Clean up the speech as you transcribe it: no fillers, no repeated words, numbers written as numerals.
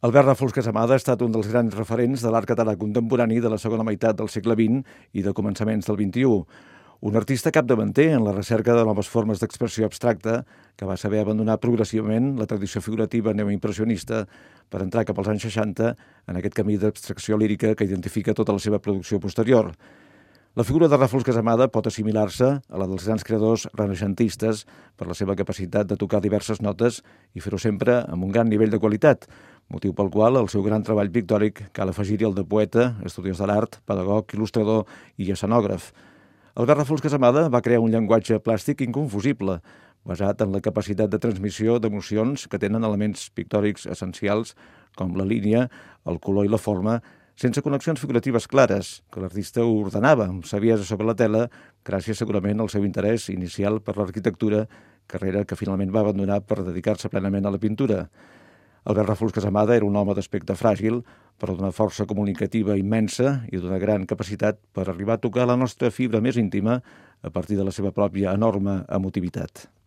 Albert Ràfols Casamada ha estat un dels grans referents de l'art català contemporani de la segona meitat del segle XX i de començaments del XXI. Un artista capdavanter en la recerca de noves formes d'expressió abstracta que va saber abandonar progressivament la tradició figurativa neoimpressionista per entrar cap als anys 60 en aquest camí d'abstracció lírica que identifica tota la seva producció posterior. La figura de Ràfols Casamada pot assimilar-se a la dels grans creadors renaixentistes per la seva capacitat de tocar diverses notes i fer-ho sempre amb un gran nivell de qualitat, motiu pel qual el seu gran treball pictòric cal afegir-hi el de poeta, estudiós de l'art, pedagog, il·lustrador i escenògraf. Albert Ràfols Casamada va crear un llenguatge plàstic inconfusible, basat en la capacitat de transmissió d'emocions que tenen elements pictòrics essencials com la línia, el color i la forma, sense connexions figuratives clares, que l'artista ho ordenava amb saviesa sobre la tela, gràcies segurament al seu interès inicial per l'arquitectura, carrera que finalment va abandonar per dedicar-se plenament a la pintura. Albert Ràfols Casamada era un home d'aspecte fràgil, però d'una força comunicativa immensa i d'una gran capacitat per arribar a tocar la nostra fibra més íntima a partir de la seva pròpia enorme emotivitat.